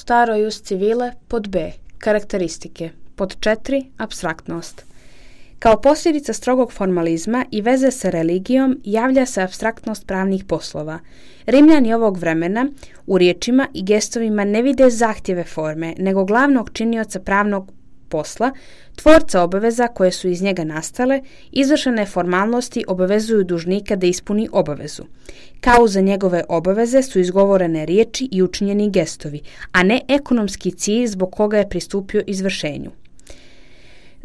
staro jus civile pod B. Karakteristike. Pod 4. Apstraktnost. Kao posljedica strogog formalizma i veze sa religijom javlja se apstraktnost pravnih poslova. Rimljani ovog vremena u riječima i gestovima ne vide zahtjeve forme, nego glavnog činioca pravnog posla, tvorca obaveza koje su iz njega nastale, izvršene formalnosti obavezuju dužnika da ispuni obavezu. Kao za njegove obaveze su izgovorene riječi i učinjeni gestovi, a ne ekonomski cilj zbog koga je pristupio izvršenju.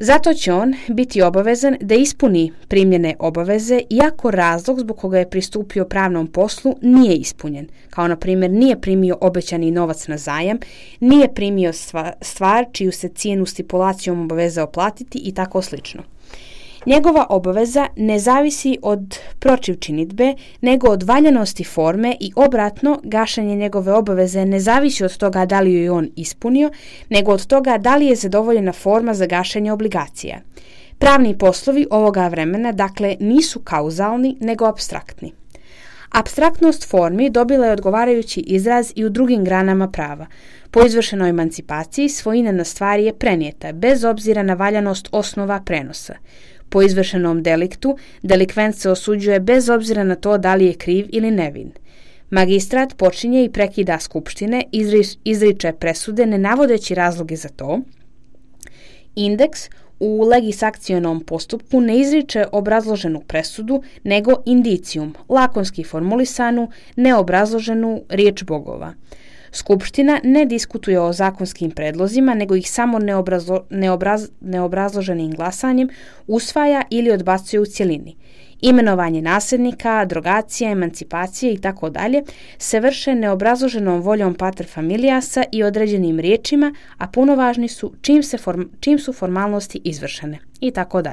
Zato će on biti obavezan da ispuni primljene obaveze iako razlog zbog koga je pristupio pravnom poslu nije ispunjen, kao na primjer nije primio obećani novac na zajam, nije primio stvar čiju se cijenu stipulacijom obavezao platiti i tako slično. Njegova obaveza ne zavisi od protivčinidbe, nego od valjanosti forme i obratno, gašenje njegove obaveze ne zavisi od toga da li ju je on ispunio, nego od toga da li je zadovoljena forma za gašenje obligacija. Pravni poslovi ovoga vremena, dakle, nisu kauzalni, nego apstraktni. Apstraktnost formi dobila je odgovarajući izraz i u drugim granama prava. Po izvršenoj emancipaciji svojina na stvari je prenijeta, bez obzira na valjanost osnova prenosa. Po izvršenom deliktu, delikvent se osuđuje bez obzira na to da li je kriv ili nevin. Magistrat počinje i prekida skupštine, izriče presude ne navodeći razloge za to. Indeks u legisakcionom postupku ne izriče obrazloženu presudu, nego indicijum, lakonski formulisanu, neobrazloženu riječ bogova. Skupština ne diskutuje o zakonskim predlozima, nego ih samo neobrazloženim glasanjem usvaja ili odbacuje u cjelini. Imenovanje nasljednika, drogacija, emancipacije itd. se vrše neobrazloženom voljom pater familiasa i određenim riječima, a punovažni su čim su formalnosti izvršene itd.